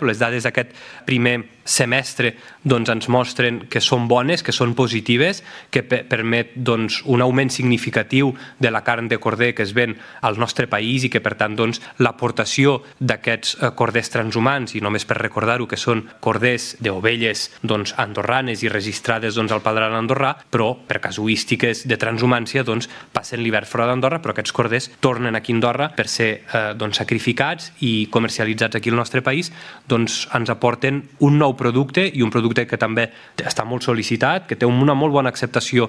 Les dades d'aquest primer semestre ens mostren que són bones, que són positives, que permet un augment significatiu de la carn de corder que es ven al nostre país i que, per tant, l'aportació d'aquests corders transhumants, i només per recordar-ho que són corders d'ovelles andorranes i registrades al padrán andorrà, però per casuístiques de transhumància passen l'hivern fora d'Andorra, però aquests corders tornen aquí a Andorra per ser sacrificats i comercialitzats aquí al nostre país, ens aporten un nou producte i un producte que també està molt sol·licitat, que té una molt bona acceptació